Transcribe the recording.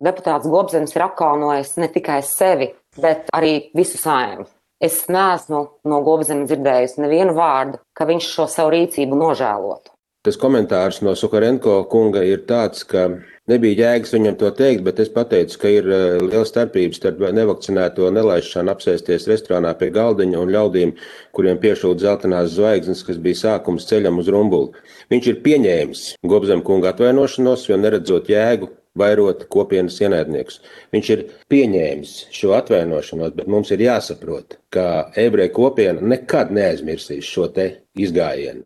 deputāts Gobzems ir apkaunojis ne tikai sevi, bet arī visu Saeimu. Es neesmu no Gobzema dzirdējusi nevienu vārdu, ka viņš šo savu rīcību nožēlotu. Tas komentārs no Sukarenko kunga ir tāds, ka nebija jēgas viņam to teikt, bet es pateicu, ka ir liela starpības starp nevakcinēto nelaišanu apsēsties restorānā pie galdiņa un ļaudīm, kuriem piešūt zeltainās zvaigznes, kas bija sākums ceļam uz Rumbuli. Viņš ir pieņēmis Gobzema kunga atvainošanos, jo neredzot jēgu vairot kopienas ienaidniekus. Viņš ir pieņēmis šo atvainošanos, bet mums ir jāsaprot, ka ebreju kopiena nekad neaizmirsīs šo te izgājienu.